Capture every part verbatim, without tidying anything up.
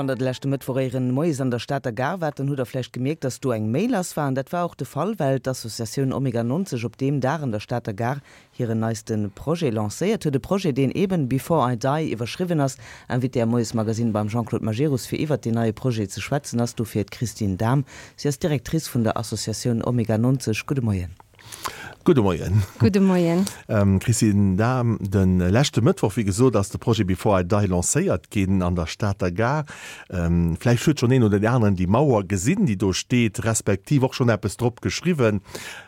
Wann der de leschte Mëttwoch éieren Moies an der Stater Gare waart, dann hutt der vläicht gemierkt, dass do eng Méi lass war. An dat war och de Fall, well d'Associatioun Omega neunzeg op deem Dag an der Stater Gare hiren neiste Projet lancéiert huet. E Projet, deen eben Before I Die iwwerschriwwen ass. Invitée am Moiesmagazine beim Jean-Claude Majerus fir iwwert deen neie Projet ze schwätzen ass dofir d'Christine Dahm. Si ass Directrice vun der Associatioun Omega neunzeg. Gudde Moien. Gudde Moien. Gudde Moien. Christine Dahm, de leschte Mëttwoch, wéi gesot, ass de Projet Before I Die lancéiert ginn an der Stater Gare. Vläicht huet schonn een oder deen aneren déi Mauer gesinn, déi do steet, respektiv och schonn eppes drop geschriwwen.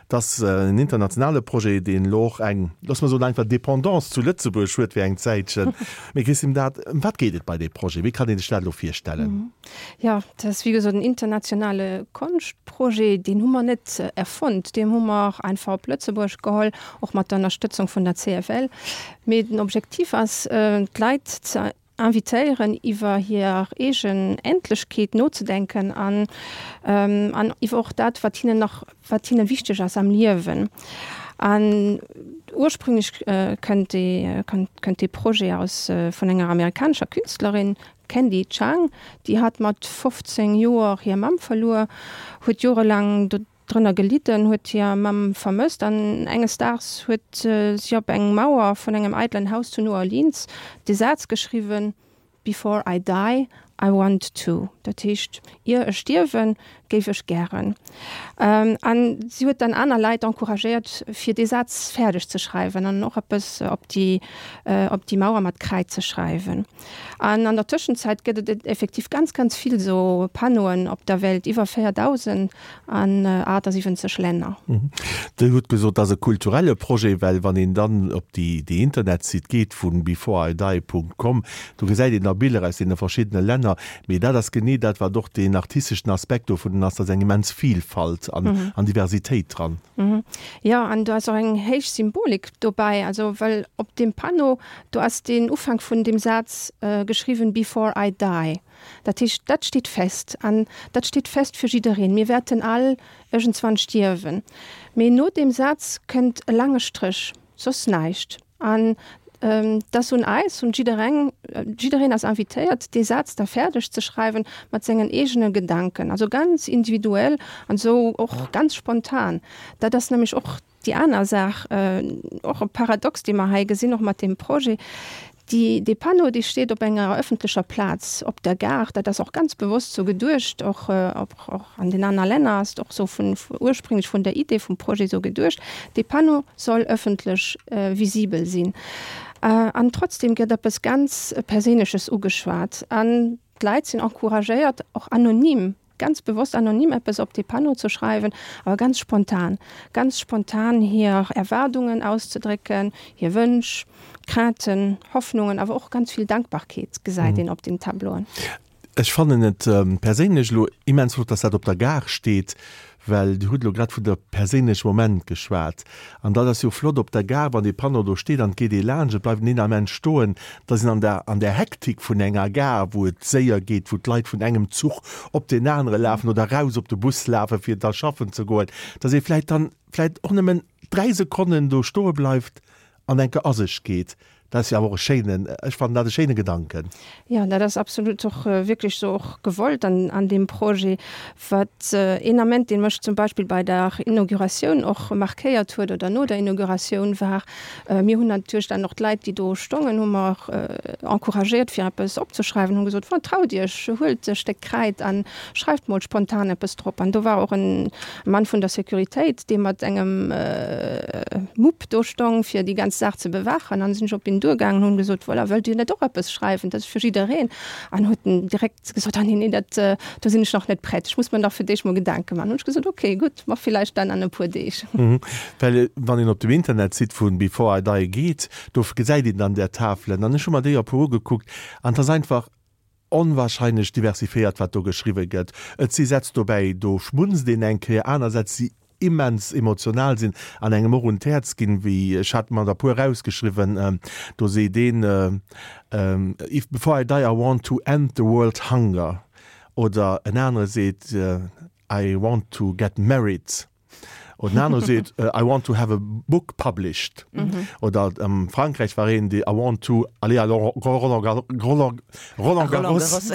Et ass en internationale Projet, deen elo och eng, loosse mer soen, einfach Dependance zu Lëtzebuerg huet fir eng Zäitchen. Mee Christine Dahm, ëm wat geet et bei deem Projet? Wéi kann een sech dat elo virstellen? Jo, dat ass wéi gesot en internationale Konschtprojet. Deen hu mer net erfonnt, deen hu mer einfach op Lëtzebuerg geholl, och mat der Ënnerstëtzung vun der C F L. Mee den Objektiv ass, d'Leit ze invitéieren, iwwer hir eegen Endlechkeet nozedenken an an iwwer och dat, wat hinnen nach, wat hinne wichteg ass am Liewen. An ursprünglech kënnt dee kënnt dee Projet aus vun enger amerikanescher Künstlerin, Candy Chang, déi hat mat fofzéng Joer hir Mamm verluer, huet jorelaang drënner gelidden, huet hir Mamm vermësst an enges Daags huet si op eng Mauer vun engem eidelen Haus zu New Orleans de Saz geschriwwen, Before I die, I want to. Dat heescht, ier ech stierwen, géif ech gären. An si huet dann aner Leit encouragéiert, fir dee Saz fäerdeg ze schreiwen an och eppes op déi, op déi Mauer mat Kräid ze schreiwen. An an der Tëschenzäit gëtt et effektiv ganz, ganz vill esou Panneauen op der Welt, iwwer véierdausend an achtasiwwenzeg Länner. Dir hutt gesot, et ass e kulturelle Projet, well wann een dann op déi, déi Internetsite geet vun beforeidie Punkt com, do gesäit een da Biller aus deene verschiddene Länner. Mee dat ass genee dat, wat och deen artisteschen Aspekt dovun ass, da ass eng immens Vilfalt an, an Diversitéit dran. Jo, an do ass och eng héich Symbolik dobäi, also well op deem Panneau, do ass den Ufank vun deem Saz geschriwwen, Before I die. Dat heescht, dat steet fest an dat steet fest fir jiddereen, mir wäerten all iergendswann stierwen. Mee no deem Saz kënnt e laange Stréch, soss näischt. An et ass un eis, un jiddereng, jiddereen ass invitéiert, dee Saz da fäerdeg ze schreiwen mat sengen eegene Gedanken, also ganz individuell an esou och ganz spontan. Dat ass nämlech och déi aner Saach, och e Paradox, dee mer hei gesinn, och mat deem Projet. Déi, dee Panneau, dee steet op enger ëffentlecher Plaz, op der Gare. Dat ass och ganz bewosst sou geduecht, och, och an den aner Länner ass et och sou vun, ursprünglech vun der Idee vum Projet sou geduecht. Dee Panneau soll ëffentlech visibel sinn. An trotzdem gëtt eppes ganz Perséinleches ugeschwat an d'Leit sinn encouragéiert, och anonym, ganz bewosst anonym eppes op dee Panneau ze schreiwen, awer ganz spontan, ganz spontan hir Erwaardungen auszedrécken, hir Wënsch, Crainten, Hoffnungen, awer och ganz vill Dankbarkeet gesäit een op den Tableauen. Ech fannen et perséinlech elo immens flott, dass dat op der Gare steet, well Dir hutt elo grad vun der perséinleche Moment geschwat. An dat ass jo flott op der Gare, wann dee Panneau do steet an et geet ee laanscht, et bleift een Ament stoen, dass een an der, an der Hektik vun enger Gare, wou et séier geet, wou d'Leit vun engem Zuch op deen anere lafen oder eraus op de Bus lafen, fir da schaffen ze goen, dass ee vläicht dann vläicht och nëmmen dräi Sekonnen do stoe bleift an eng Kéier a sech geet. Dat ass jo awer och e schéinen, ech fannen dat e schéine Gedanken. Jo, dat ass absolut och wierklech esou och gewollt an an deem Projet. Wat een Ament, dee mech zum Beispill bei der Inauguratioun och markéiert huet oder no der Inauguratioun war, mir hunn natierlech dann och d'Leit, déi do stongen, hu mer encouragéiert fir eppes opzeschreiwen, hunn gesot, Traut Iech, huelt e Stéck Kräid a schreift mol spontan eppes drop. An do war och e Mann vun der Sécuritéit, dee mat engem Mupp do stong, fir déi ganz Saach ze bewaachen. An sinn ech op hien duergaangen, hunn gesot, voilà, wëllt Dir net och eppes schreiwen, dat ass fir jiddereen. An huet en direkt gesot, ah nee, nee, dat, do sinn ech nach net prett, ech muss mer nach fir d'éischt mol Gedanke maachen. Hunn ech gesot, okay, gutt, ma villäicht dann an e puer Deeg. Well wann een op dem Internetsite vun Before I Die geet, do gesäit een dann där Tafelen an ech hu mer déi e puer ugekuckt an et ass einfach onwahrscheinlech diversifiéiert, wat do geschriwwe gëtt. Et si Sätz dobäi, do schmunzt een eng Kéier, aner Sätz, déi immens emotional sinn an engem och un d'Häerz ginn, wéi ech hat mer der puer erausgeschriwwen, do seet een, If before I die I want to end the world hunger oder en anere seet, I want to get married Oder en anere seet, I want to have a book published. Oder am Frankräich war een, dee I want to aller à Roland Garros.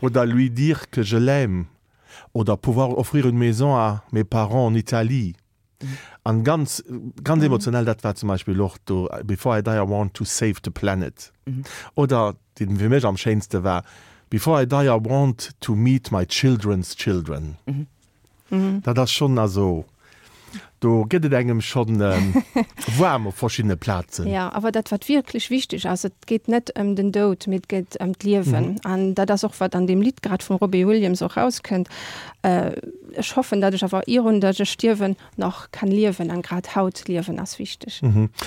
Oder lui dire que je l'aime. Oder pouvoir offrir une maison à mes parents en Italie. An ganz, ganz emotionell, dat war zum Beispill och do, Before I die, I want to save the planet. Oder, deen fir mech am schéinste war, Before I die, I want to meet my children's children. Dat ass schonn, also do gëtt et engem schonn waarm op verschiddene Plazen. Jo, awer dat wat wierklech wichteg ass, et geet net ëm den Doud, mee et geet ëm d'Liewen. An dat ass och wat an deem Lidd grad vum Robbie Williams och rauskënnt, Ech hoffen, datt ech awer irun datt ech stierwen nach kann liewen. An grad haut liewen ass wichteg.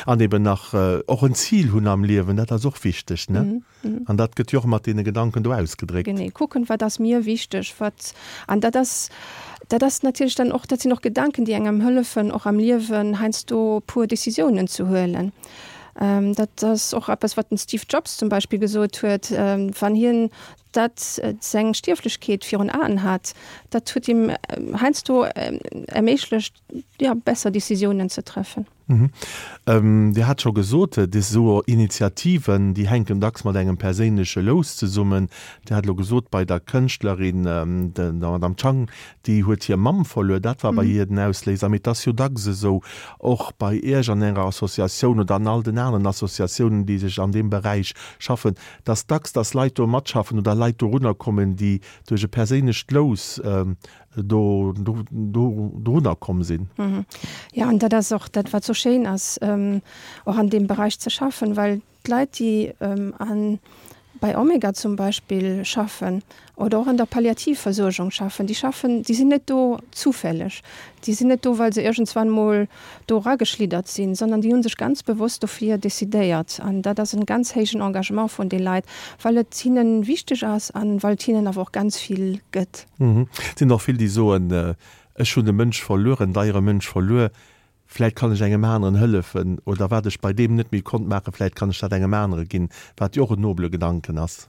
An eben nach och en Zil hunn am Liewen, dat ass och wichteg, ne? An dat gëtt jo och mat deene Gedanken do ausgedréckt. Genee, kucken, wat ass mir wichteg, wat, an dat ass, dat ass natierlech dann och, dat sinn och Gedanken, déi engem hëllefen, och am Liewen heiansdo e puer Decisiounen ze huelen. Dat ass och eppes, wat den Steve Jobs zum Beispill gesot huet, wann hien dat seng Stierflechkeet virun Aen hat, dat huet him heiansdo erméiglecht, jo, besser Decisiounen ze treffen. Dir hat scho gesot, des esou Initiativen, déi hänken dacks mat engem perséinleche Lous zesummen. Dir hat elo gesot, bei der Kënschtlerin, der Madame Chang, déi huet hir Mamm verluer, dat war bei hir den Ausléiser. Mee et ass jo dacks esou, och bei Iech an Ärer Associatioun oder an all den aneren Associatiounen, déi sech an deem Beräich schaffen, dass dacks, dass Leit do matschaffen oder Leit dorunner kommen, déi duerch e perséinlecht Lous do dorunner komm sinn. Jo, an dat ass och dat, wat sou schéin ass, och an deem Beräich ze schaffen, well d'Leit, déi an, bei Omega zum Beispill schaffen oder och an der Palliativversuergung schaffen, déi schaffen, déi sinn net do zufälleg, déi sinn net do, well se iergendswann mol do erageschliddert sinn, sondern déi hu sech ganz bewosst dofir decidéiert. An dat ass en ganz héijen Engagement vun de Leit, well et hinnen wichteg ass an well et hinnen awer och ganz vill gëtt. Et sinn och vill, déi soen, ech hunn e Mënsch verluer, en deiere Mënsch verluer, vläit kann ech engem aneren hëllefen oder wat ech bei deem net méi konnt maachen, vläit kann ech dat engem anere ginn, wat jo och en nobele Gedanken ass.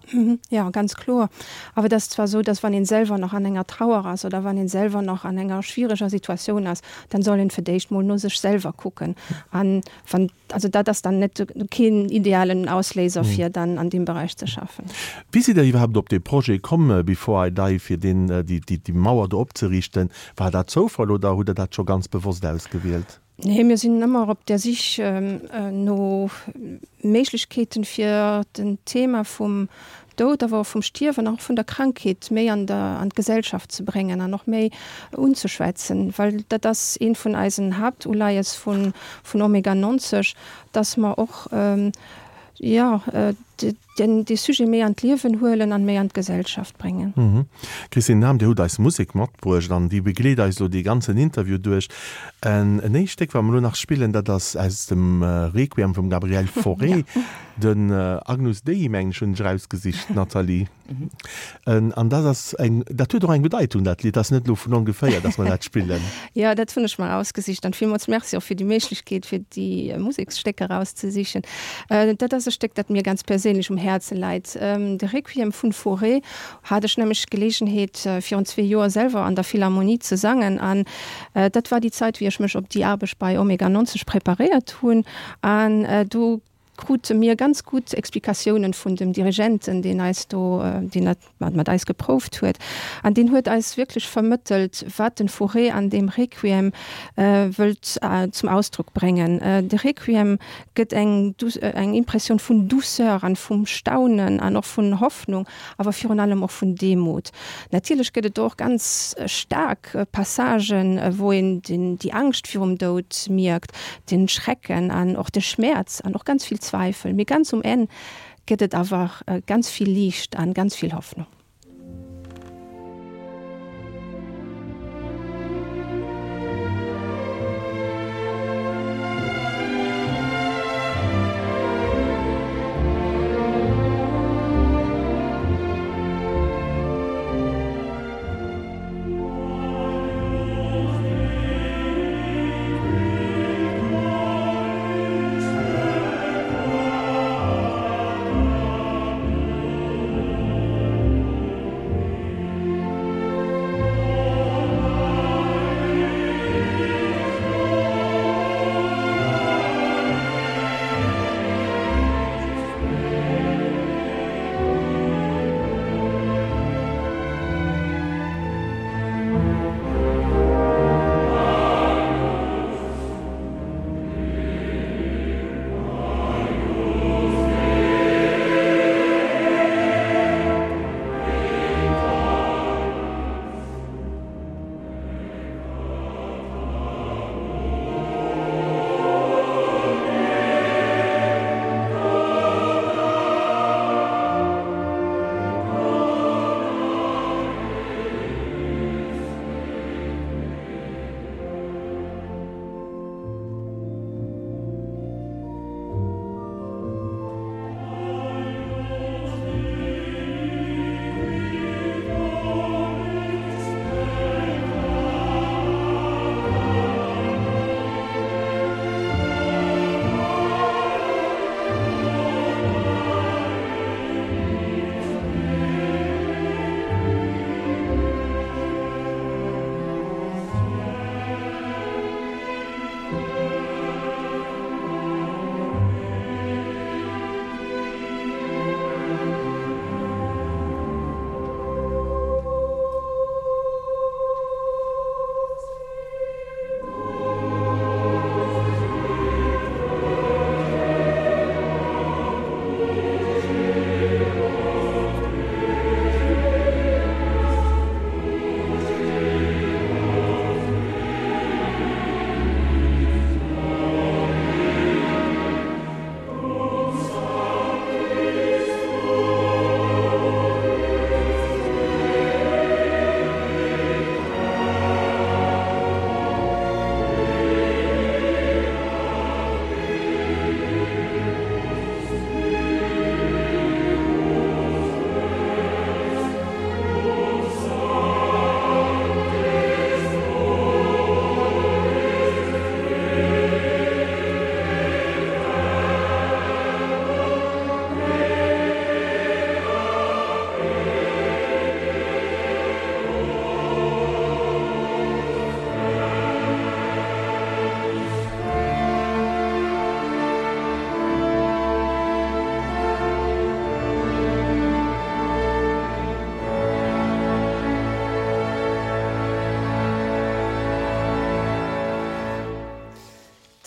Jo, ganz kloer. Awer et ass zwar esou, dass wann een selwer nach an enger Trauer ass oder wann een selwer nach an enger schwiereger Situatioun ass, dann soll een fir d'éischt mol no sech selwer kucken. An wann, also dat ass dann net keen idealen Ausléiser fir dann an deem Beräich ze schaffen. Wéi sidd Der iwwerhaapt op dee Projet komm, Before I Die, fir deen, déi, déi Mauer do opzeriichten? War dat Zoufall oder hutt Der dat scho ganz bewosst ausgewielt? Nee, mir sinn ëmmer op der Sich no Méiglechkeeten, fir den Thema vum Doud, awer och vum Stierwen an och vun der Krankheet méi an der an d'Gesellschaft ze bréngen an och méi unzeschwätzen, well dat ass eent vun eisen Haaptuleies vun vun Omega neunzeg, dass mer och jo den dee Sujet méi an d'Liewen huelen an méi an d'Gesellschaft bréngen. Christine Dahm, Dir hutt eis Musek matbruecht an déi begleet eis elo dee ganzen Interview duerch. En éischt Stéck, wat mer elo nach spillen, dat ass aus dem Requiem vum Gabriel Fauré, den Agnus Dei, mengen ech, hunn ech erausgesicht, Nathalie. An dat ass eng, dat huet och eng Bedeitung, dat Lidd. Dat ass net elo vun ongeféier, datt mer dat spillen. Jo, dat hunn ech mer erausgesicht. An villmools Merci och fir déi Méiglechkeet, fir déi Museksstécker erauszesichen. Dat ass e Stéck, dat mir ganz perséinlech um Häerze läit. De Requiem vun Fauré hat ech nämlech d'Geleegenheet, virun zwee Joer selwer an der Philharmonie ze sangen. An dat war déi Zait, wéi ech mech op déi Aarbecht bei Omega neunzeg preparéiert hunn. An do krute mir ganz gutt Explikatiounen vun dem Dirigenten, deen eis do, deen dat mat eis geprouft huet. An deen huet eis wierklech vermëttelt, wat den Fauré an deem Requiem wëllt zum Ausdrock bréngen. De Requiem gëtt eng eng Impressioun vun Douceur an vum Staunen an och vun Hoffnung, awer virun allem och vun Demut. Natierlech gëtt et do och ganz staark Passagen, wou een den, déi Angscht virum Doud mierkt, den Schrecken an och de Schmäerz an och ganz vill Zweifel. Mee ganz um Enn gëtt et awer ganz vill Liicht an ganz vill Hoffnung.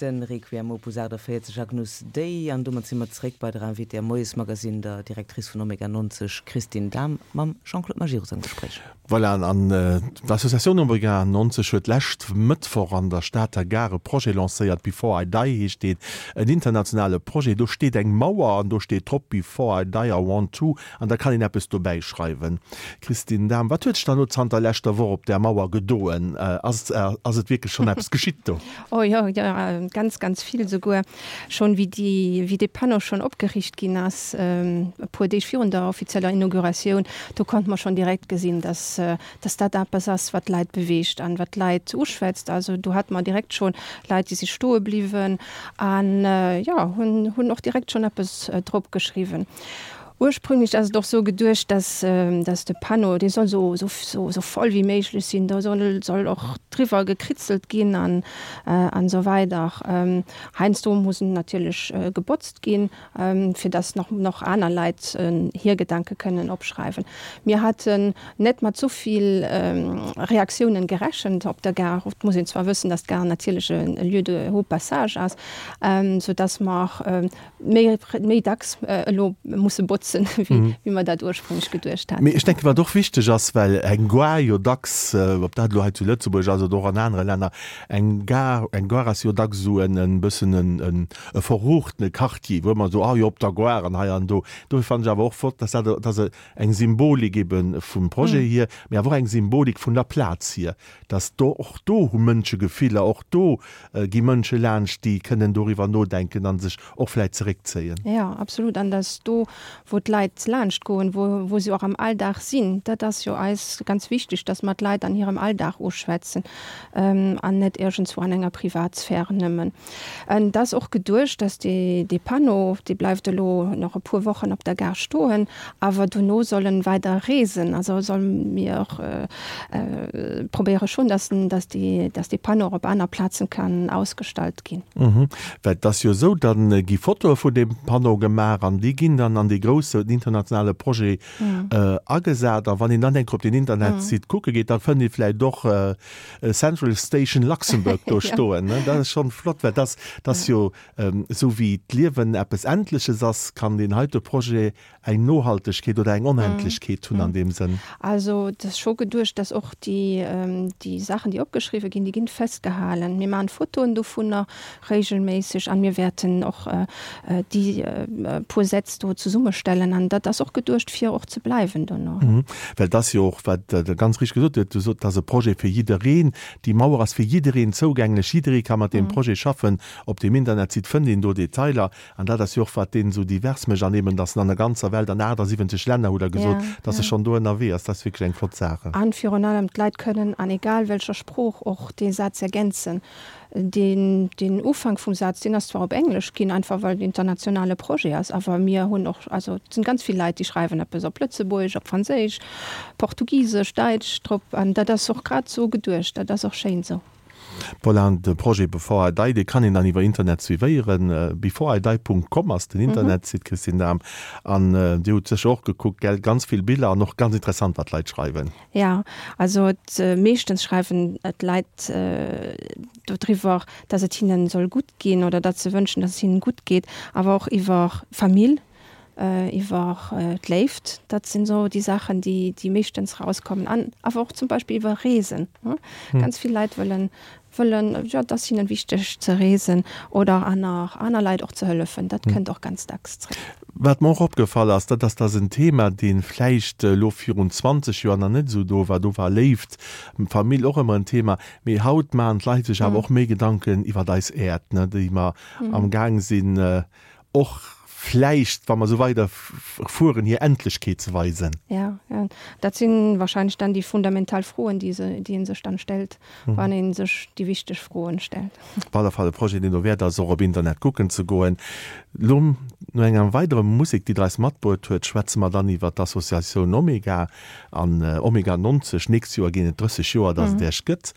Den Requiem Opus achtundvierzig Agnus Dei an domat si mer zréck bei der Invitée am Moiesmagazin, der Directrice vun Omega neunzig Christine Dahm mam Jean-Claude Majerus am Gespréich. Voilà, an d'Associatioun Omega neunzig huet lescht Mëttwoch an der Stater Gare e Projet lancéiert, Before I Die heescht deen, en internationale Projet. Do steet eng Mauer an do steet drop Before I Die I want to an da kann een eppes dobäi schreiwen. Christine Dahm, wat huet sech dann elo zanter leschter Woch op där Mauer gedoen? Ass, ass et wierklech schonn eppes geschitt do? Oh jo, jo, ganz, ganz vill souguer. Schonn wéi déi, wéi dee Panneau schonn opgeriicht ginn ass, e puer Deeg virun der offizieller Inauguratioun, do konnte mer schonn direkt gesinn, dass, dass dat eppes ass, wat d'Leit beweegt an wat d'Leit uschwätzt. Also do hate mer direkt schonn Leit, déi si stoe bliwwen an, jo, hunn, hunn och direkt schonn eppes drop geschriwwen. Ursprünglech ass et och sou geduecht, dass, dass de Panneau, dee soll sou, sou, sou, sou voll wéi méiglech sinn, do soll, soll och driwwer gekritzelt ginn an, an esou weider. Heiansdo muss en natierlech gebotzt ginn, fir dass nach, nach aner Leit hir Gedanke kënnen opschreiwen. Mir haten net mat sou vill Reaktiounen gerechent op der Gare. Et muss een zwar wëssen, dass d'Gare natierlech e Lieu de haut passage ass, sou dass mer méi, méi dacks elo musse botzen, wéi, wéi mer dat ursprünglech geduecht haten. Mee ech denken, wat och wichteg ass, well eng Gare jo dacks, ob dat elo hei zu Lëtzebuerg ass oder och an anere Länner, eng Gare, eng Gare ass jo dacks esou en e bëssen en, en e verruchtene Quartier, wou ëmmer esou, ah jo, op der Gare an hei an do. Dofir fannen ech awer och flott, dass dat, dass e eng Symbolik ebe vum Projet hier, mee awer och eng Symbolik vun der Plaz hier, dass do, och do hu Mënsche Gefiller, och do gi Mënsche laanscht, déi kënnen doriwwer nodenken a sech och vläicht zeréckzéien. Jo, absolut. An dass do, wou d'Leit laanscht goen, wou, wou se och am Alldag sinn, dat ass jo eis ganz wichteg, dass mer d'Leit an hirem Alldag uschwätzen an net iergendswou an enger Privatsphäre nëmmen. Et ass och geduecht, dass dee, dee Panneau, dee bleift elo nach e puer Wochen op der Gare stoen, awer dono soll en weider reesen. Also soll mir probéiere schonn, dass en, dass dee, dass dee Panneau och op aner Plazen kann ausgestallt ginn. Well et ass jo esou, da gi Fotoe vun deem Panneau gemaach an déi ginn dann an dee groussen internationale Projet agesat. A wann een dann eng Kéier op den Internetsite kucke geet, da fënnt ee vläicht och Central Station Luxembourg do stoen. Dat ass schonn flott, well dat ass jo, esou wéi d'Liewen eppes Endleches ass, kann deen heite Projet eng Nohaltegkeet oder eng Onendlechkeet hunn an deem Sënn. Also et ass scho geduecht, dass och déi, déi Saachen, déi opgeschriwwe ginn, déi ginn festgehalen. Mir maachen Fotoen dovunner regelméisseg an mir wäerten och déi puer Sätz do zesummestellen an dat ass och geduecht, fir och ze bleiwen dono. Well et ass jo och, wat Der ganz richteg gesot hutt, Dir sot, et ass e Projet fir jiddereen. Déi Mauer ass fir jiddereen zougänglech, jidderee ka mat deem Projet schaffen. Op deem Internetsite fënnt een do Detailer. An dat ass jo och, wat deen esou divers mécht an eben, dass en an der ganzer Welt, an achtundsiwwenzeg Länner, hutt Der gesot, dass e schonn do ënnerwee ass. Dat ass wierklech eng flott Saach. An virun allem, d'Leit kënnen an egal welcher Sprooch och dee Saz ergänzen. Deen, deen Ufank vum Saz, deen ass zwar op Englesch ginn, einfach well et en internationale Projet ass, awer mir hunn och, also et sinn ganz vill Leit, déi schreiwen eppes op Lëtzebuergesch, op Franséisch, Portugisesch, Däitsch drop an dat ass och grad esou geduecht. Dat ass och schéin esou. Voilà, an de Projet Before I Die, dee kann een dann iwwer Internet suivéieren. Before I Die Punkt com ass den Internetsite, Christine Dahm. An Dir hutt sécher och gekuckt, gell? Ganz vill Biller an och ganz interessant, wat d'Leit schreiwen. Jo, also et, meeschtens schreiwen d'Leit dodriwwer, dass et hinnen soll gutt ginn oder datt se wënschen, dass et hinnen gutt geet, awer och iwwer Famill, iwwer d'Léift. Dat sinn esou déi Saachen, déi, déi meeschtens rauskommen. An awer och zum Beispill iwwer Reesen. Ganz vill Leit wëllen, wëllen, jo, et ass hinnen wichteg ze reesen oder aner, aner Leit och ze hëllefen. Dat kënnt och ganz dacks zréck. Wat mer och opgefall ass, dat ass, dass en Thema, dee vläicht elo virun zwanzeg Joer nach net esou do war, do war Léift, Famill och ëmmer en Thema, mee haut maachen d'Leit sech awer och méi Gedanken iwwert eis Äerd, ne, déi mer amgaang sinn och vläicht, wa mer esou weider fueren, hir Endlechkeet ze weisen. Jo, jo, dat si wahrscheinlech dann déi fundamental Froen, déi se, déi ee sech dann stellt, wann ee sech déi wichteg Froen stellt. Op alle Fall e Projet, deen dowäert ass, och op Internet kucken ze goen. Lo no enger weiderer Musek, déi Der eis matbruet huet, schwätze mer dann iwwer d'Associatioun Omega an Omega nonzeg. Nächst Joer ginn et drësseg Joer, dass et Iech gëtt.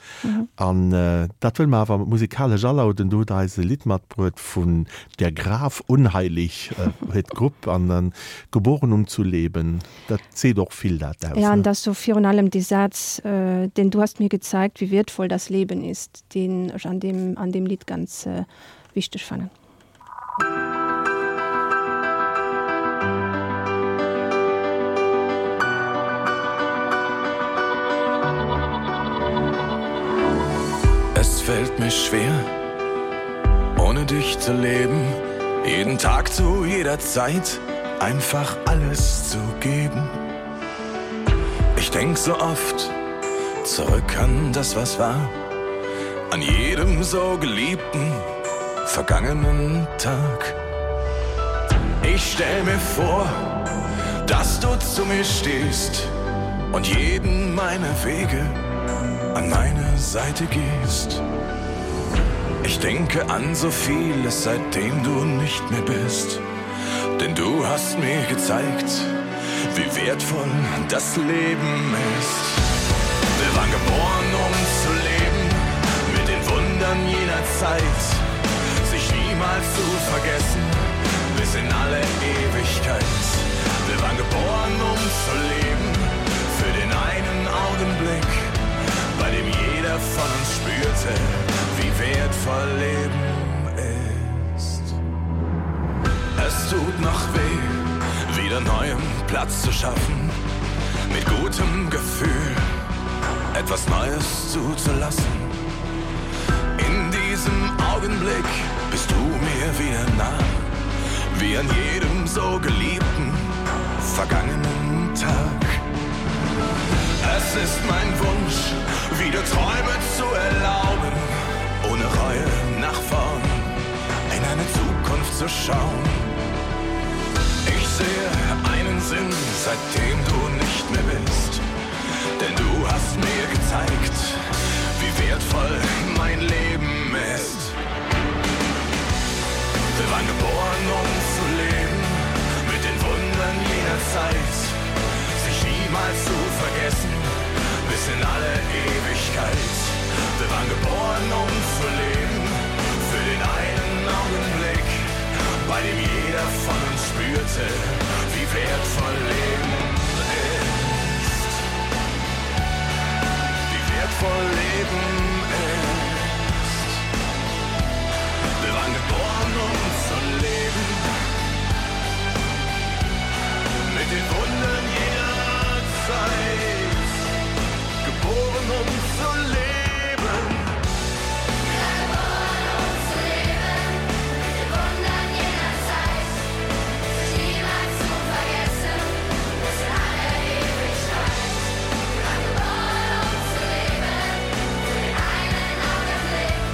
An dat wëlle mer awer musikalesch alauden. Do hutt Der eis e Lidd matbruet vun Der Graf Unheilig, huet d'Grupp, an Geboren um zu leben. Dat seet och vill dat aus, Ja, an ne? dat ass sou virun allem dee Saz, den Du hast mir gezeigt, wie wertvoll das Leben ist, deen ech an deem, an deem Lidd ganz wichteg fannen. Es fällt mir schwer, ohne dich zu leben, jeden Tag zu jeder Zeit einfach alles zu geben. Ich denk so oft zurück an das, was war, an jedem so geliebten vergangenen Tag. Ich stell mir vor, dass du zu mir stehst und jeden meiner Wege an meine Seite gehst. Ich denke an so vieles, seitdem du nicht mehr bist. Denn du hast mir gezeigt, wie wertvoll das Leben ist. Wir waren geboren, um zu leben, mit den Wundern jener Zeit, sich niemals zu vergessen, bis in alle Ewigkeit. Wir waren geboren, um zu leben, für den einen Augenblick, bei dem jeder von uns spürte, wie wertvoll Leben ist. Es tut noch weh, wieder neuem Platz zu schaffen, mit gutem Gefühl etwas Neues zuzulassen. In diesem Augenblick bist du mir wieder nah, wie an jedem so geliebten vergangenen Tag. Es ist mein Wunsch, wieder Träume zu erlauben, ohne Reue nach vorn in eine Zukunft zu schauen. Ich sehe einen Sinn, seitdem du nicht mehr bist, denn du hast mir gezeigt, wie wertvoll mein Leben ist. Wir waren geboren, um zu leben, mit den Wundern jener Zeit, sich niemals zu vergessen, bis in alle Ewigkeit. Wir waren geboren, um zu leben, für den einen Augenblick, bei dem jeder von uns spürte, wie wertvoll Leben ist. Wie wertvoll Leben ist. Wir waren geboren, um zu leben, mit den Wundern jener Zeit, geboren, um zu leben. Geboren, um zu leben, mit den Wundern jener Zeit, sich niemals zu vergessen, bis in alle Ewigkeit. Wir waren geboren, um zu leben, für den einen Augenblick,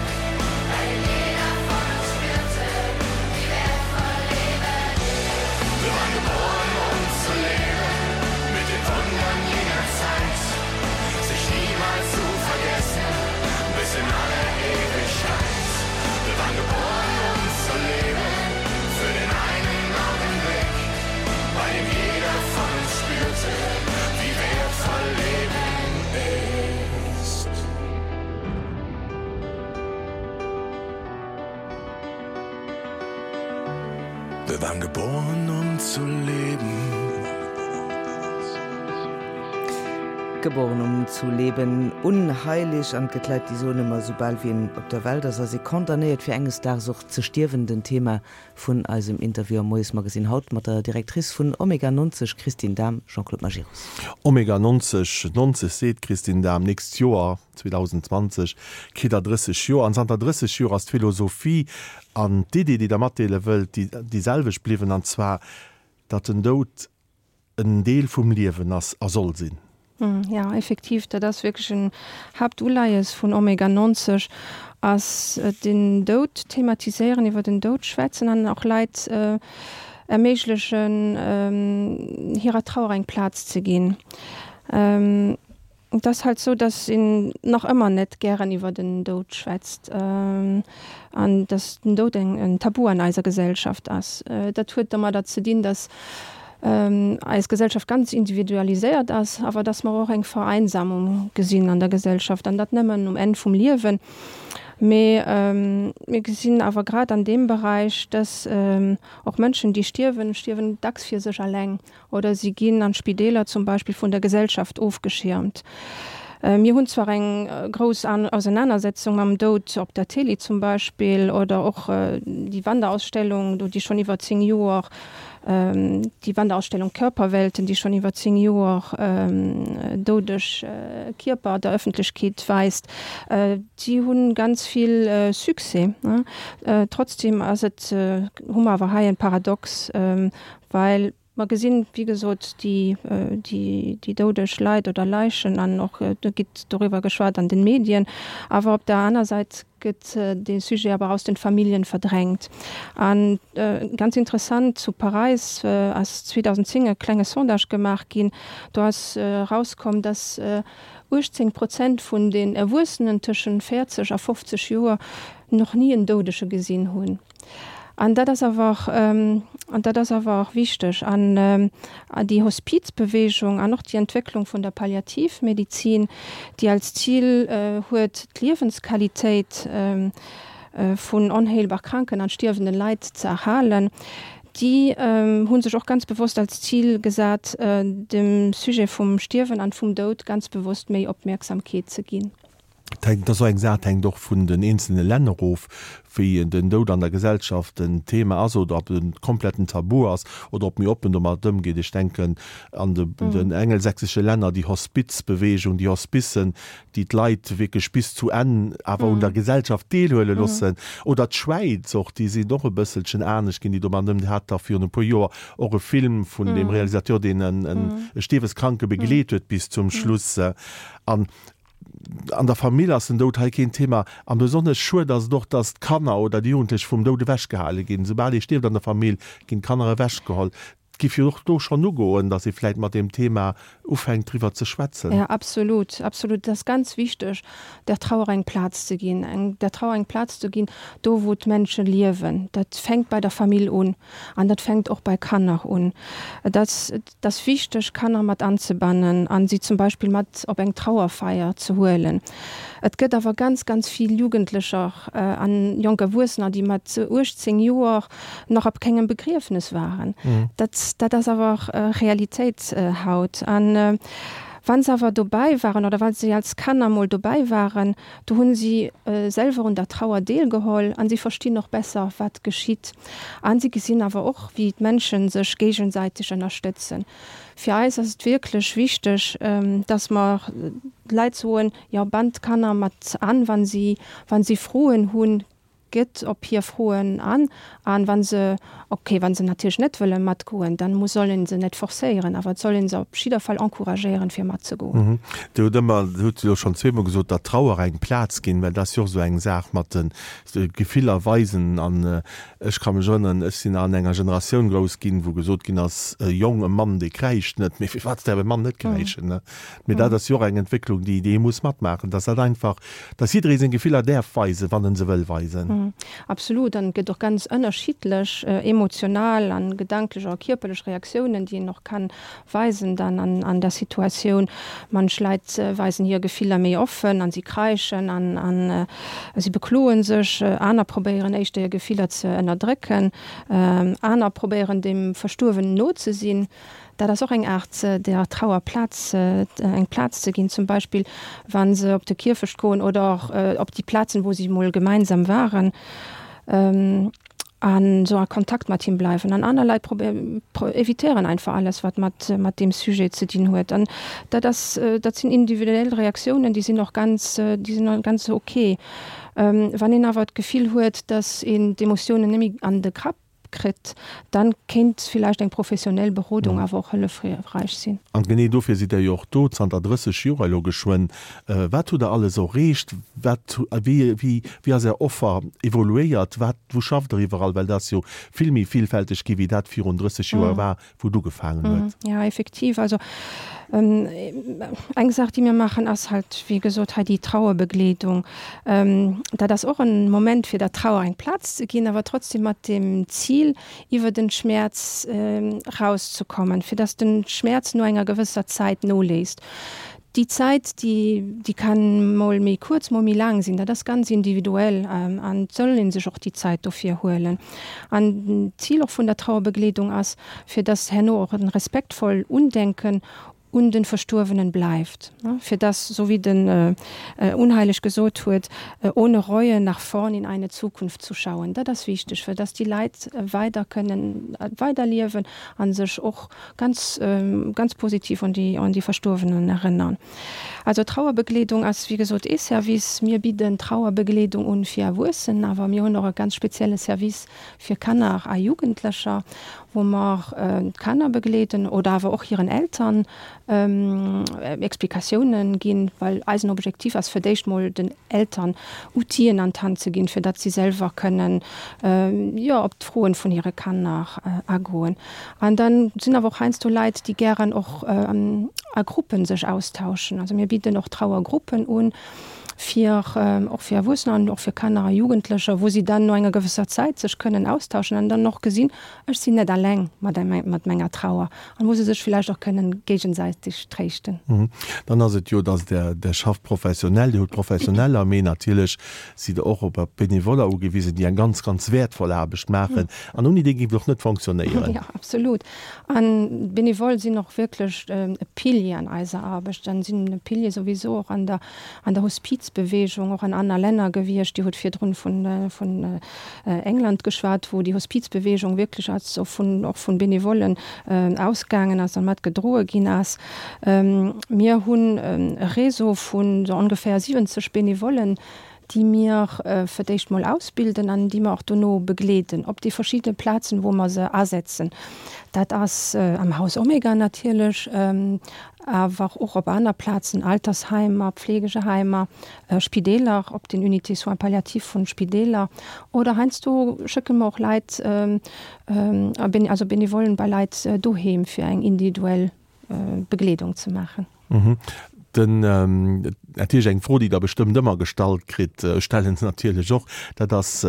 bei dem jeder von uns spürte, wie wertvoll Leben ist. Wir waren geboren, um zu leben, mit den Wundern jener Zeit, sich niemals zu vergessen, bis in alle Ewigkeit. Wir waren geboren, um zu leben, für den einen Augenblick, bei dem jeder von uns spürte, wie wertvoll Leben ist. Wir waren geboren, um zu leben. Geboren um zu leben, unheilig an et gëtt Leit déi soen ëmmer soubal wéi een op der Welt ass, ass ee condamnéiert fir enges Daags och ze stierwen, den Thema vun eisem Interview am Moiesmagazin haut mat der Directrice vun Omega nonzeg Christine Dahm, Jean-Claude Majerus. Omega nonzeg, nonzeg seet d'Christine Dahm, nächst Joer, zweedausendzwanzeg, kritt der drësseg Joer an zanter drësseg Joer ass d'Philosophie an d'Iddi déi der matdeele wëllt déi déi selwecht bliwwen, an zwar datt den Doud en Deel vum Liewen ass a soll sinn. Ja, effektiv, dat ass wierklech en Haaptuleies vun Omega nonzeg, ass den Doud thematiséieren, iwwer den Doud schwätzen an och Leit erméiglechen, hirer Trauer eng Plaz ze ginn. Et ass halt sou, dass een nach ëmmer net gären iwwer den Doud schwätzt an dass den Doud eng en Tabu an eiser Gesellschaft ass. Dat huet domadder ze dinn, dass eis Gesellschaft ganz individualiséiert ass, awer dass mer och eng Vereinsamung gesinn an der Gesellschaft, an dat nëmmen um Enn vum Liewen. Mee mir gesinn awer grad an deem Beräich, dass och Mënschen, déi stierwen, stierwen dacks fir sech alleng oder si ginn an Spideeler zum Beispill vun der Gesellschaft ofgeschiermt. Mir hunn zwar eng grouss Ausenanersetzung mam Doud op der Télé zum Beispill oder och déi Wanderausstellung do, déi schonn iwwer zéng Joer, déi Wanderausstellung Körperwelten, déi schonn iwwer zéng Joer doudeg Kierper der Ëffentlechkeet weist, déi hu ganz vill Succès. Trotzdem ass et, hu mer awer hei en Paradox, well mer gesinn, wéi gesot, déi, déi doudeg Leit oder Leichen an och do gitt doriwwer geschwat an den Medien, awer op der aner Säit gëtt dee Sujet awer aus den Familljen verdrängt. An ganz interessant, zu Paräis ass zweedausendzéng e klenge Sondage gemaach ginn, do ass erauskomm, dass uechtzéng Prozent vun den Erwuessenen tëschent véierzeg a fofzeg Joer nach ni en Doudege gesinn hunn. An dat ass awer, an dat ass awer och wichteg. An déi Hospizbewegung an och déi Entwécklung vun der Palliativmedizin, déi als Zil huet, d'Liewensqualitéit vun onheelbar kranken an stierwenden Leit ze erhalen, déi hu sech och ganz bewosst als Zil gesat, dem Sujet vum Stierwen an vum Doud ganz bewosst méi Opmierksamkeet ze ginn. Dat ass och eng Saach, dat hänkt och vun den eenzelne Länner of, wéi den Doud an der Gesellschaft en Thema ass oder ob en kompletten Tabu ass oder ob méi oppen domat ëmgeet. Ech denken an den engelsächsesche Länner, déi Hospizbewegung, déi Hospicen, déi d'Leit wierklech bis zu Enn awer un der Gesellschaft deelhuele loossen. Oder d'Schwäiz och, déi sinn och e bësselchen anescht ginn, déi domat ëm. Dir hat da virun e puer Joer och e Film vun deem Realisateur, deen e Stierweskranke begleet huet bis zum Schluss. An an der Famill ass den Doud hei keen Thema. An besonnesch schued ass et och, dass d'Kanner oder déi Jugendlech vum Doud ewechgehale ginn. Soubal ee stierft an der Famill, ginn d'Kanner ewechgeholl. Et géif jo och do schonn ugoen, dass ee vläicht mat deem Thema ufänkt driwwer ze schwätzen. Ja, absolut, absolut. Et ass ganz wichteg, der Trauer eng Plaz ze ginn, eng, der Trauer eng Plaz ze ginn, do wou d'Mënsche liewen. Dat fänkt bei der Famill un an dat fänkt och bei Kanner un. Et ass, et ass wichteg, Kanner mat anzebannen a si zum Beispill mat op eng Trauerfeier ze huelen. Et gëtt awer ganz, ganz vill Jugendlecher an jonk Erwuessener, déi mat uechtzéng Joer nach op kengem Begriefnes waren. Dat, dat ass awer Realitéit haut. An wa se awer dobäi waren oder wa si als Kanner mol dobäi waren, do hunn si selwer un der Trauer deelgeholl an si verstinn och besser, wat geschitt. An si gesinn awer och, wéi d'Mënsche sech géigesäiteg ënnerstëtzen. Fir eis ass et wierklech wichteg, dass mer d'Leit soen, jo, bannt d'Kanner mat an, wa si, wa si Froen hunn, gëtt op hir Froen an, an wa se, ok, wa se natierlech net wëlle matgoen, dann muss, soll een se net forcéieren, awer et soll een se op jidder Fall encouragéieren, fir matzegoen. Dir hutt ëmmer, Dir hutt elo schonn zweemol gesot, der Trauer eng Plaz ginn, well dat ass jo och esou eng Saach mat de Gefiller weisen. An ech ka mech erënneren, ech sinn an enger Generatioun grouss ginn, wou gesot ginn ass, e Jong, e Mann, dee kräischt net. Mee firwat däerf e Mann net kräischen, ne? Mee dat ass jo och eng Entwécklung, déi, déi ee muss matmaachen, dass dat einfach, dass jidderee seng Gefiller däerf weisen, wann en se wëll weisen. Absolut, an et gëtt och ganz ënnerschiddlech emotional an gedanklech a kierperlech Reaktiounen, déi een och kann weisen dann an an der Situatioun. Manch Leit weisen hir Gefiller méi offen an si kräischen an an si bekloen sech, aner probéieren éischter hir Gefiller ze ënnerdrécken, aner probéieren dem Verstuerwenen no ze sinn. Dat ass och eng Aart, der Trauer Plaz, eng Plaz ze ginn, zum Beispill wa se op de Kierfecht goen oder och op déi Plazen, wou si mol gemeinsam waren, an esou a Kontakt mat him bleiwen. An aner Leit evitéieren einfach alles, wat mat mat deem Sujet ze dinn huet. An dat ass, dat sinn individuell Reaktiounen, déi sinn och ganz, déi sinn och ganz ok. Wann een awer d'Gefill huet, datt een d'Emotiounen net méi an de Grapp kritt, dann kéint villäicht eng professionell Berodung awer och hëllefreich sinn. An genee dofir sidd Der jo och do, zanter drësseg Joer elo geschwënn. Wat hutt Der alles erreecht? Wat, wéi, wéi, wéi ass Är Offer evoluéiert? Wat, wou schafft Der iwwerall? Well dat ass jo vill méi villfälteg gi wéi dat virun drësseg Joer war, wou et ugefaangen huet. Jo, effektiv. Also eng Saach, déi mir maachen, ass halt, wéi gesot, hei déi Trauerbegleedung. Dat ass och en Moment, fir der Trauer eng Plaz ze ginn, awer trotzdem mat dem Zil, iwwer den Schmerz rauszekommen, fir dass den Schmerz no enger gewësser Zäit noléisst. Déi Zäit, déi, déi kann mol méi kuerz, mol méi laang sinn, dat ass ganz individuell an et soll ee sech och déi Zäit dofir huelen. An d'Zil och vun der Trauerbegleedung ass, fir dass herno och en respektvoll Undenken un den Verstuerwenen bleift, fir dass, sou wéi den Unheilig gesot huet, ohne Reue nach vorn in eine Zukunft zu schauen. Dat ass wichteg, fir dass déi Leit weider kënnen weiderliewen a sech och ganz, ganz positiv un déi, un déi Verstuerwenen erënnern. Also Trauerbegleedung ass, wéi gesot, ee Service. Mir bidden Trauerbegleedung un fir Erwuessen, awer mir hunn och e ganz spezielle Service fir Kanner a Jugendlecher, wou mer d'Kanner begleeden oder awer och hiren Eltern Explikatiounen ginn, well eisen Objektiv ass fir d'éischt mol den Eltern Outien an d'Hand ze ginn, fir datt si selwer kënnen, jo, op d'Froen vun hire Kanner agoen. An dann sinn awer och heiansdo Leit, déi gären och a Gruppen sech austauschen. Also mir bidden och Trauergruppen un, fir och fir Erwuessener an och fir Kanner a Jugendlecher, wou si dann no enger gewësser Zäit sech kënnen austauschen an dann och gesinn, ech sinn net alleng mat mat menger Trauer an wou se sech villäicht och kënnen géigesäiteg tréischten. Dann ass et jo, dass Der Der schafft professionell, Dir hutt Professioneller, mee natierlech sidd Der och op Benevoller ugewisen, déi eng ganz, ganz wäertvoll Aarbecht maachen an ouni déi géif et och net fonctionnéieren. Jo, absolut. An d'Benevole sinn och wierklech e Pilier an eiser Aarbecht an sinn e Pilier souwisou och an der an der Hospizbewegung, och an aner Länner gewiescht. Dir hutt virdrun vun vun England geschwat, wou déi Hospizbewegung wierklech als och vun och vun Benevollen ausgaangen ass an mat gedroe ginn ass. Mir hunn e Réseau vun sou ongeféier siwwenzeg Benevollen, déi mir fir d'éischt mol ausbilden an déi mer och dono begleeden op déi verschidde Plazen, wou mer se asetzen. Dat ass am Haus Omega natierlech, awer och op aner Plazen, Altersheimer, Pflegeheimer, Spideeler, op den Unités soins palliatifs vun Spideeler oder heiansdo schëcke mer och Leit, also Benevollen bei Leit doheem, fir eng individuell Begleedung ze maachen. Den, natierlech eng Fro, déi Der bestëmmt ëmmer gestallt kritt, ech stellen se natierlech och, dat ass,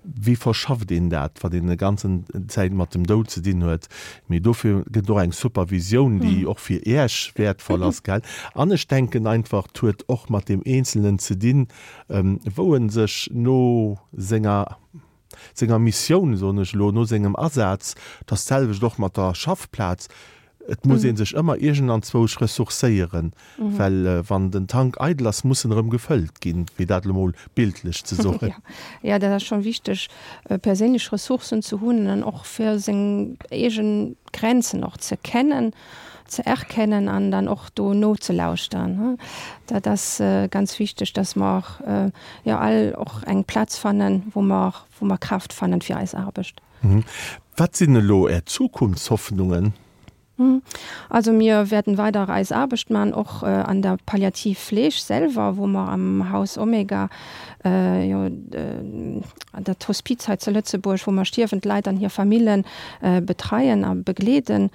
Wéi verschafft een dat, wann een e ganzen Zäit mat dem Doud ze dinn huet? Mee dofir gëtt et och eng Supervisioun, déi och fir Iech wäertvoll ass, gell? An ech denken einfach, et huet och mat deem Eenzelnen ze dinn, wou e sech no senger, senger Missioun, soen ech elo, no sengem Asaz, et ass d'selwecht och mat der Schaffplaz, et muss ee sech ëmmer iergendanzwousch ressourcéieren, well wann den Tank eidel ass, muss en erëm gefëllt ginn, fir dat elo mol bildlech ze soen. Jo, dat ass schonn wichteg, perséinlech Ressourcen ze hunn an och fir seng eegen Grenzen och ze kennen, ze erkennen an dann och do nozelauschteren. Dat ass ganz wichteg, dass mer jo all och eng Plaz fannen, wou mer, wou mer Kraaft fannen fir eis Aarbecht. Wat sinn elo Är Zukunftshoffnungen? Also mir wäerten weider eis Aarbecht man, och an der Palliativfleeg selwer, wou mer am Haus Omega, jo dat Hospiz hei zu Lëtzebuerg, wou mer stierwend Leit an hir Famillen betreien a begleeden.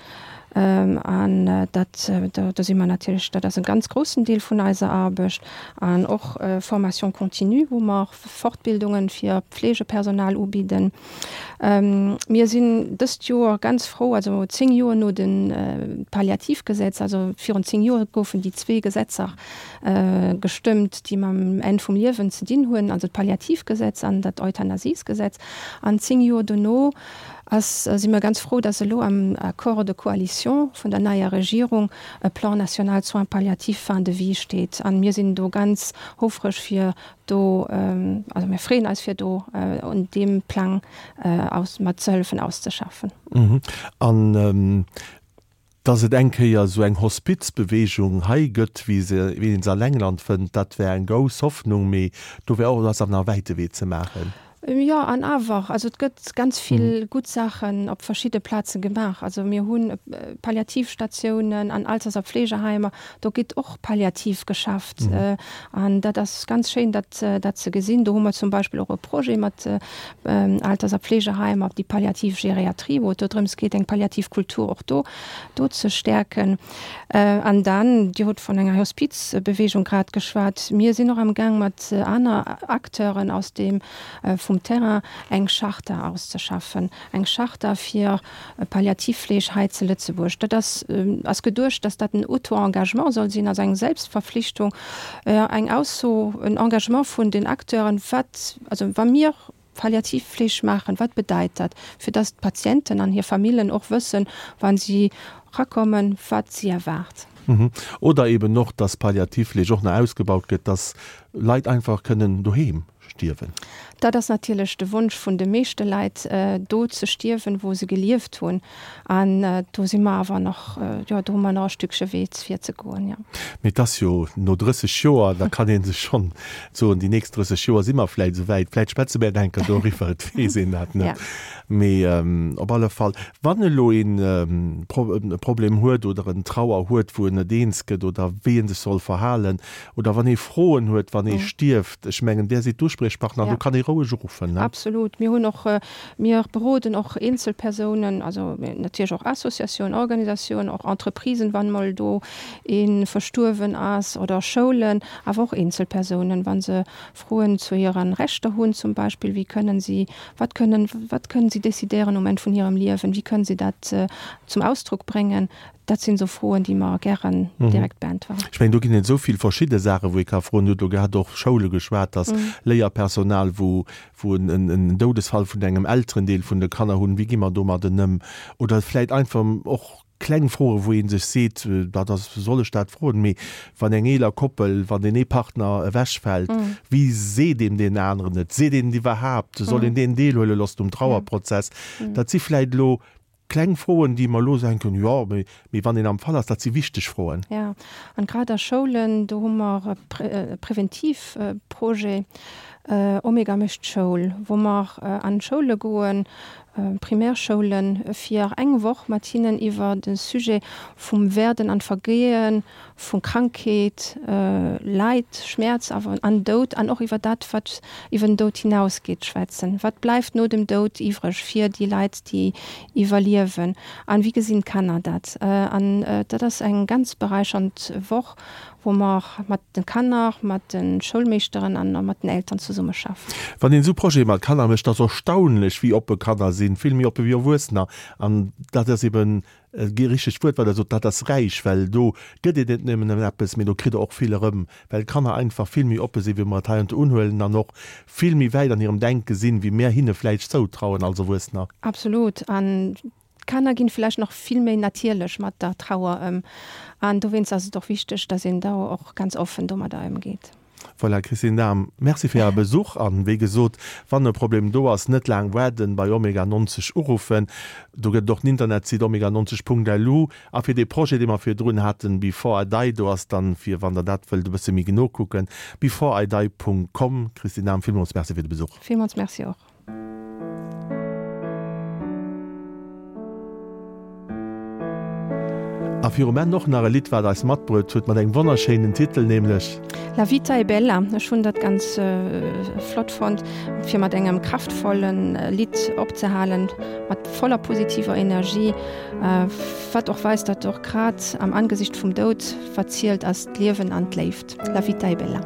An dat, do si mer natierlech, dat ass e ganz groussen Deel vun eiser Aarbecht. An och Formation continue, wou mer Fortbildungen fir Pflegepersonal ubidden. Mir sinn dëst Joer ganz frou, also zéng Joer no dem Palliativgesetz, also virun zéng Joer goufen déi zwee Gesetzer gestëmmt, déi mam Enn vum Liewen ze dinn hunn, also d'Palliativgesetz an dat Euthanasiesgesetz. An zéng Joer dono ass, si mir ganz frou, dass elo am Accord de coalition vun der neier Regierung e Plan national soins palliatifs fin de vie steet. An mir sinn do ganz houfreg fir do, also mir freeën eis fir do un deem Plang aus mat ze hëllefen auszeschaffen. An dass et eng Kéier esou eng Hospizbewegung hei gëtt, wéi se, wéi een se an England fënnt, dat wär eng grouss Hoffnung, mee do wär och, do ass awer nach e wäite Wee ze maachen. Jo, an awer, also et gëtt ganz vill gutt Saachen op verschidde Plaze gemaach. Also mir hunn Palliativstatiounen an Alters a Pflegeheimer, do gétt och palliativ geschafft. An dat ass ganz schéin, dat dat ze gesinn. Do hu mer zum Beispill och e Projet mat Alters a Pflegeheimer, déi palliativ Geriatrie, wou et do drëms geet, eng palliativ Kultur och do do ze stäerken. An dann, Dir hutt vun enger Hospizbewegung grad geschwat, mir sinn och amgaang mat aner Acteuren aus deem vum Terrain eng Charta auszeschaffen, eng Charta fir Palliativfleeg hei ze Lëtzebuerg. Dat ass ass geduecht, dass dat en Auto-Engagement soll sinn, also eng Selbstverpflichtung, eng Ausso, en Engagement vun den Acteuren, wat, also wa mir Palliativfleeg maachen, wat bedeit dat, fir dass d'Patienten an hir Famillen och wëssen, wa si erakommen, wat si erwaart. Oder eben och, dass Palliativfleeg och nach ausgebaut gëtt, dass Leit einfach kënnen doheem stierwen. Dat ass natierlech de Wonsch vun de meeschte Leit, do ze stierwen, wou se gelieft hunn. An do si mer awer nach, jo, do hu mer nach e Stückche Wee fir ze goen, jo. Mee et ass jo no drësseg Joer, da kann ee sech schonn soen, déi nächst drësseg Joer si mer vläicht esou wäit. Vläicht schwätze mer eng Kéier doriwwer, et weess een dat net. Mee op alle Fall, wann elo een e Problem huet oder en Trauer huet, wou en net eens gëtt oder wéi en sech soll verhalen oder wann ee Froen huet, wann ee stierft, ech mengen, där sidd d'Uspriechpartner, do kann ee roueg uruffen, ne? Absolut. Mir hunn och, mir beroden och Eenzelpersounen, also natierlech och Associatiounen, Organisatiounen, och Entreprisen, wann emol do ee verstuerwen ass, oder Schoulen, awer och Eenzelpersounen, wa se Froen zu hiren Rechter hunn zum Beispill, wéi kënnen si, wat kënnen, wat kënnen si decidéieren um Enn vun hirem Liewen, wéi kënnen si dat zum Ausdruck bréngen, dat sinn esou Froen, déi mer gären direkt beäntweren. Ech mengen, do ginn et esou vill verschidde Saachen, wou ee ka froen. Dir hutt elo grad och Schoule geschwat, dass Léierpersonal, wou, wou en, en Doudesfall vun engem Elterendeel vun de Kanner hunn, wéi gi mer domadden ëm? Oder vläicht einfach och kleng Froen, wou ee sech seet, dat ass, soll ech dat froen? Mee wann eng eeler Koppel, wann deen ee Partner ewechfält, wéi seet een deen aneren et? Seet een et iwwerhaapt? Soll een deen deelhuele loossen um Trauerprozess? Dat si vläicht elo kleng Froen, déi mer elo denken, jo, mee, mee wann een am Fall ass, dat si wichteg Froen. Jo, an grad a Schoulen, do hu mer e Präventivprojet, Omega mécht Schoul, wou mer an d'Schoule goen, Primärschoulen, fir eng Woch mat hinnen iwwer de Sujet vum Werden an Vergehen, vu Krankheet, Leid, Schmerz awer an Doud an och iwwer dat, wat iwwer den Doud hinausgeet, schwätzen. Wat bleift no dem Doud iwwreg fir déi Leit, déi iwwerliewen? An wéi gesinn d'Kanner dat? An dat ass eng ganz beräichernd Woch, wou mer mat de Kanner, mat de Schoulmeeschteren an mat den Eltern zesummeschaffen. Wann een esou Projete mat Kanner mécht, ass erstaunlech, wéi oppe Kanner sinn, vill méi oppe wéi Erwuessener. An dat ass eben e richtegt Wuert, wat Der sot, dat ass räich, well do gëtt een net nëmmen ëm eppes, mee do kritt Der och vill erëm, well d'Kanner einfach vill méi oppe sinn, wéi mer et heiansdo unhuelen, an och vill méi wäit an hirem Denke sinn, wéi mär hinne vläicht zoutrauen als Erwuessener. Absolut. An d'Kanner ginn vläicht nach vill méi natierlech mat der Trauer ëm. An dowéinst ass et och wichteg, dass een do och ganz offen domadder ëmgeet. Voilà, Christine Dahm, Merci fir Äre Besuch. An wéi gesot, wann e Problem do ass, net laang waarden, bei Omega neunzeg uruffen. Do gëtt et och en Internetsite, omega neunzeg Punkt lu. A fir dee Projet, dee mer virdrun haten, Before I Die, do ass dann, fir wann Der dat wëllt e bësse méi genau kucken, beforeidie Punkt com. Christine Dahm, villmools Merci fir de Besuch. Villmools Merci och. A virum Enn och nach e Lidd, wat eis matbruet huet, mat engem wonnerschéinen Titel, nämlech. La vita è bella. Ech hunn dat ganz flott fonnt, fir mat engem kraftvolle Lidd opzehalen, mat voller positiver Energie, wat och weist, datt och grad am Angesicht vum Doud, wat zielt ass d'Liewen an d'Léift. La vita è bella.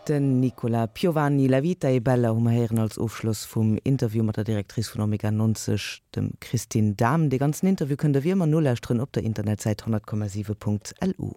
Den Nicola Piovani, La vita è bella hu mer héieren als Ofschloss vum Interview mat der Directrice vun Omega neunzeg, dem Christine Dahm. Dee ganzen Interview kënnt der wéi ëmmer nolauschteren op der Internetsäit honnert Komma siwe Punkt L U.